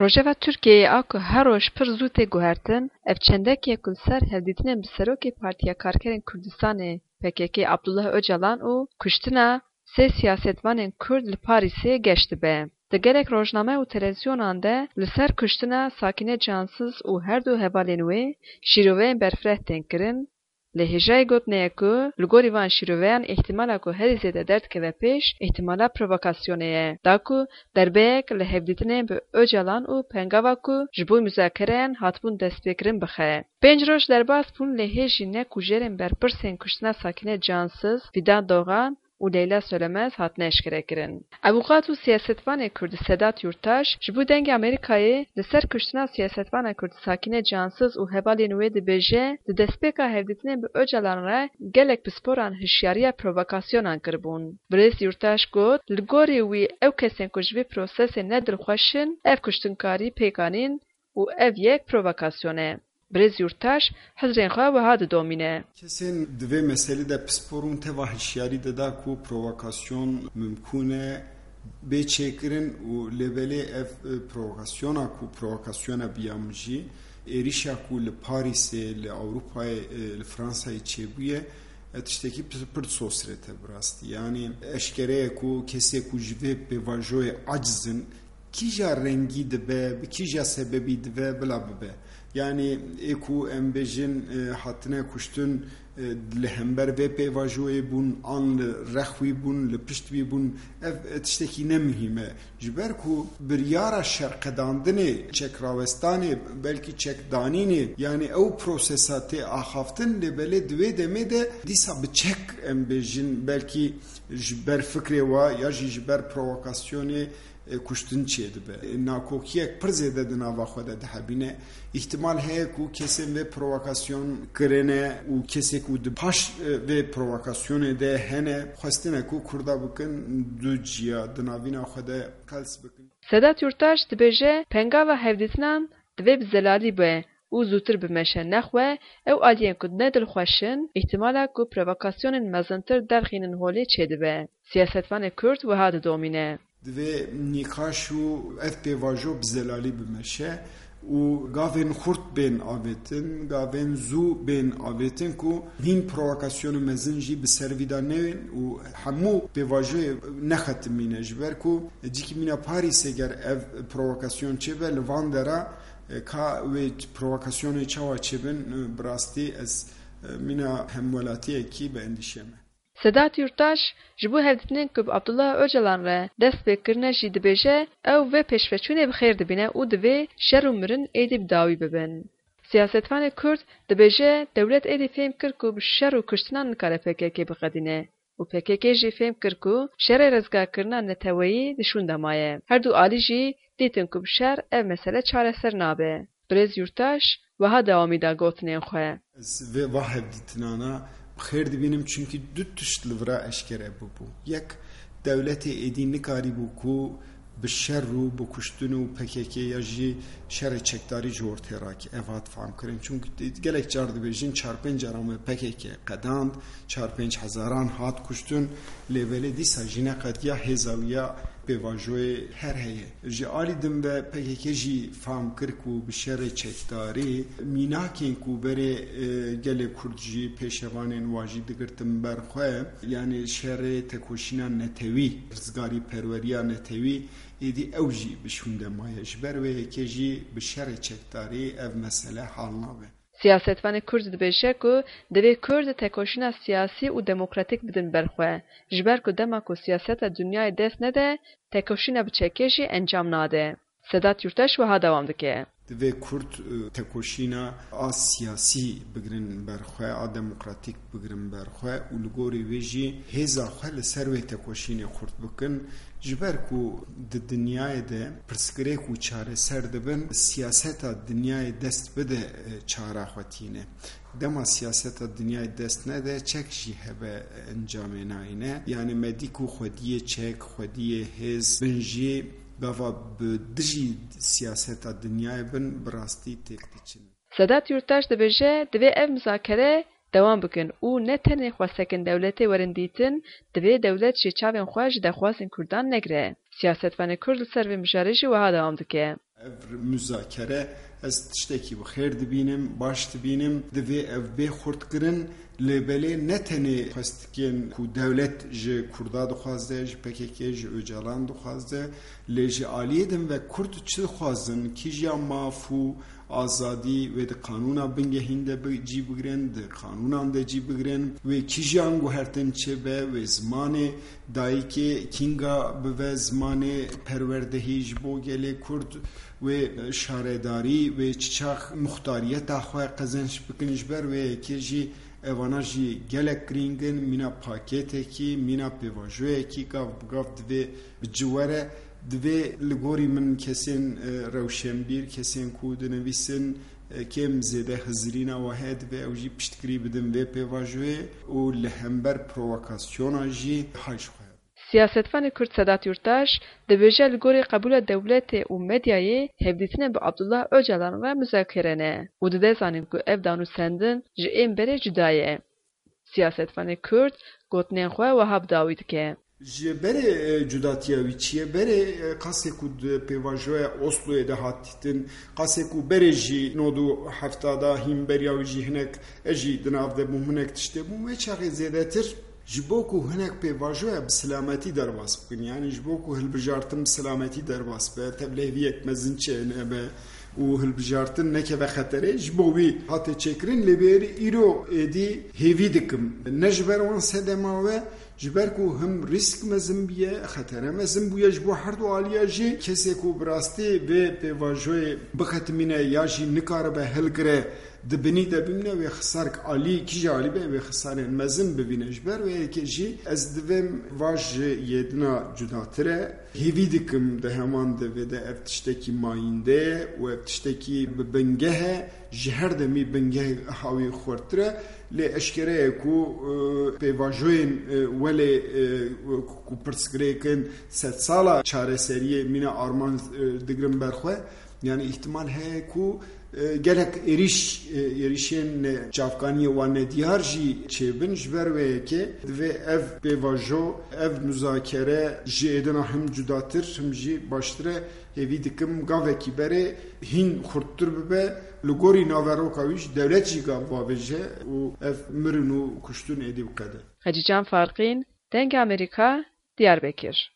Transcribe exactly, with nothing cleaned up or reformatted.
Rojeva Tirkiyeyê a ku her roj pir zû tê guhertin, ev çendekî ye ku li ser hevdîtinên bi serokê Partiya Karkerên Kurdistanê, P K K, Abdullah Ocalan û kuştina sê siyasetvanên Kurd li Parîsê geş dibe. Di gelek rojname û televîzyonan de li ser kuştina Sakîne Cansiz û her du hevalên wê şîroveyên berfireh tên kirin, lê hêjayî gotinê ye ku li gorî van şîroveyan îhtimala ku herî zêde derdikeve pêş, îhtimala provokasyonê ye, da ku derbeyek li hevdîtinên bi Ocalan û pengava ku ji bo muzakereyan hatibûn destpêkirin bixe. Pênc roj derbas bûn, lê hê jî ne kujerên berpirsên kuştina Sakîne Cansiz, Fîdan Dogan û Leyla Solemez hatine eşkerekirin. Avûkat û siyasetvanê Kurd Sedat Yurtaş ji bo Dengê Amerîkayê li ser kuştina siyasetvana Kurd Sakîne Cansiz û hevalên wê dibêje, di destpêka hevdîtinê bi Ocalan re gelek pisporan hişyariya provokasyonan kiribûn. Birêz Yurtaş got, li gorî wî ew kesên ku ji vê prosesê ne dilxweş in, ev kuştinkarî pêk anîn û ev yek provokasyon e. Birêz Yurtaş hizrên xwe wiha didomîne. Kesên di vê meselê de pispor bûn teva hişyarî dida ku provokasyon mimkûn e bê çêkirin û lê belê ev, e, provokasyona ku provokasyona biyam jî êrîşa ku li Parîsê, li Ewropayê, e, li Fransayê çêbûye, e, tiştekî pir, pir sosret e bi rastî. Yanî eşkere ye ku kesê ku ji vê pêvajoyê aciz in, kîja rengî dibe, bi kîja sebebî dibe, bila bibe. Yanî ê ku em bêjin, e, hatine kuştin, e, li hember vê pêvajoyê bûn, an li rex wî bûn, li pişt wî bûn, ev, e, tiştekî ne muhîm e. Ji ber ku biryara şerqedandinê, çekrawestanê, belkî çekdanînê, yanî ew prosesa tê axaftin, lê belê di wê demê de dîsa bi çek, em bêjin, belkî ji ber fikrê wa ya jî ji ber provokasyonê, e, kuştin çêdibe. E, nakokiyek pir zêde di nava xwe de dihebîne. Îhtimal heye ku kesên vê provokasyon kirine û kesê ku di paş, e, vê provokasyonê de hene, xwestine ku Kurda bikin du ciya, di navîna xwe de qels bikin. Sedat Yurtaş dibêje, pengava hevdîtinan divê bi zelalî be û zûtir bimeşe. Nexwe ew aliyên ku ne dilxweş in, îhtimala ku provokasyonên mezintir derxînin holê çêdibe. Siyasetvanê Kurd wiha didomîne. Divê nîqaş û ev pêvajo bi zelalî bimeşe û gavên xurt bên avêtin, gavên zû bên avêtin ku hîn provokasyonên mezin jî bi ser vî de neyên û hemû pêvajoyê nexetimîne. Ji ber ku cîkî mîna Parîsê ger ev provokasyon çêbe li van dera, e, ka wê provokasyonê çawa çêbin, e, bi rastî ez, e, mîna hemwelatiyekî bi endîşe me. Sedat Yurtaş ji bo hevdîtinên ku bi Abdullah Ocalan re dest pê kirine jî dibêje, ew vê pêşveçûnê bi xêr dibîne û divê şer û mirin êdî bi dawî bibin. Siyasetvanê Kurd dibêje, dewlet êdî fêm kir ku bi şer û kuştinan nikare P K K biqedîne û P K K jî fêm kir ku şerê rizgarkirina neteweyî di şûn de maye. Her du alî jî dîtin ku bi şer ev mesele çareser nabe. Birêz Yurtaş wiha dewamî da gotinên xwe. Ez vê va hevdîtinana bi xêr dibînim, çimkî du tişt li vira eşkere bibû. Yek, dewletê êdî nikarîbû ku bi şer û bi kuştin û P K K ya jî şerê çekdarî ji ortê rakî. Ev hat famkirin. Çimkî gelek car dibêjin çar pênc cara me P K K qedand, çar pênc hezaran hat kuştin, lê belê dîsa jî neqediya hêza wî ya pêvajoyê her heye. Ji alî din ve P K K jî fam kir ku bi şerê çekdarî mînakên ku berê, e, gelê Kurd jî pêşevanên wa jî digirtin ber xwe, yanî şerê tekoşîna netewî, rizgarî perweriya netewî, êdî ew jî bi şûnde maye. Ji ber wê yekê jî bi şerê çekdarî ev mesele hal nabe. Siyasetvanê Kurd dibêje ku divê Kurd tekoşîna siyasî û demokratîk bidin ber xwe, ji ber ku dema ku siyaseta dinyayê dest nede, tekoşîna bi çekê jî encam nade. Sedat Yurtaş wiha dewam dike. Divê Kurd, e, tekoşîna a siyasî bigirin ber xwe, a demokratîk bigirin ber xwe û li gorî wê jî hêza xwe li ser wê tekoşînê xurt bikin. Ji ber ku di dinyayê de pirsgirêk û çareser dibin, siyaseta dinyayê dest bide, e, çara xwe tîne. Dema siyaseta dinyayê dest nede, çek jî hebe, e, encamê nayîne. Yanî me dî ku xwediyê çek, xwediyê hêz bin jî gava bi dijî siyaseta dinyayê bin bi rastî têk diçin. Sedat Yurttaş dibêje, divê ev muzakere dewam bikin û ne tenê xwestekên dewletê werin dîtin, divê dewlet jî çavên xwe ji daxwazên Kurdan negire. Siyasetvanê Kurd li ser vê mijarê jî wiha dewam dike. Ev muzakere ez tiştekî bi xêr dibînim, baş dibînim. Divê ev bê xurtkirin. Lê belê ne tenê xwestikên ku dewlet ji Kurda dixwaze, ji P K K, ji Ocalan dixwaze, lê ji aliyê din ve Kurd çi dixwazin, kîjiya maf û azadî wê di qanûna bingehîn de bi-, cî bigrin, di qanûnan de cî bigrin, wê kîjiyan guhertin çêbe, wê zimanê dayikê kînga bibe zimanê perwerdehî ji bo gelê Kurd, wê şaredarî, wê çi çax muxtariyeta xwe qezenç bikin. Ji ber wê yekê jî evana jî gelek girîng in, mîna pakêtekî, mîna pêvajoyekî gav bi gav divê bi ci were. Divê li gorî min kesên, e, rewşenbîr, kesên ku dinivîsin, e, kêm zêde hizirîna we heye, divê ew jî piştgirî bidin vê pêvajoyê û li hember provokasyona jî hay ji xwe. Siyasetvanê Kurd Sedat Yurttaş dibêje, li gorî qebûla dewletê û medyayê hevdîtinên bi Abdullah Ocalan re muzakere ne û dide zanîn ku ev danûstendin ji ên berê cuda ye. Siyasetvanê Kurd gotinên xwe wiha bi dawî dike. Ji berê, e, cudatiya wî çi ye? Berê, e, qasê ku di pêvajoya Osloyê de hat dîtin, qasê ku berê jî nod û hefta da hîn beriya wî jî hinek, e, jî di nav de bûm, hinek tiştê bûm. Wê çaxê zêdetir ji bo ku hinek pêvajoya bi silametî derbas bikin, yanî ji bo ku hilbijartin bi silametî derbas be, tevliheviyek mezin çênebe û hilbijartin nekeve xeterê, ji bo wî hate çêkirin. Lê bêrî îro êdî hêvî dikim. Ne ji ber wan sedema we, ji ber ku him rîsk mezin bûye, xetere mezin bûye ji bo her du aliya jî. Kesê ku bi rastî vê pêvajoyê bixetimîne ya jî nikaribe hilgire, di binî de bimîne, wê xisarek alî, kîja alî be, wê xisarên mezin bibîne. Ji ber wê yekê jî ez divêm va ji yê dina cudatir e. Hêvî dikim di heman devê de ev tiştekî mayînde ye û ev tiştekî bi bingeh e, ji her demî bingeh hawî xurtir e. Lê eşkere ye ku, e, pêvajoyên, e, welê, e, ku pirsgirêk in sedsala çareseriyê mîna armanc, e, digirin ber xwe. Yanî îhtimal heye ku, e, gelek êrîş, e, êrîşên, e, çavkaniyê wan nediyar jî çêbin. Ji ber wê yekê divê ev pêvajo, ev muzakere ji êdina him cudatir, him jî baştir e. Hêvî dikim gavekî berê hîn xurttir bibe. Li gorî naveroka wî jî dewlet jî gav bavêje û ev mirin û kuştin êdî biqede. Hecîcan Farqîn, Dengê Amerîka, Diyarbekir.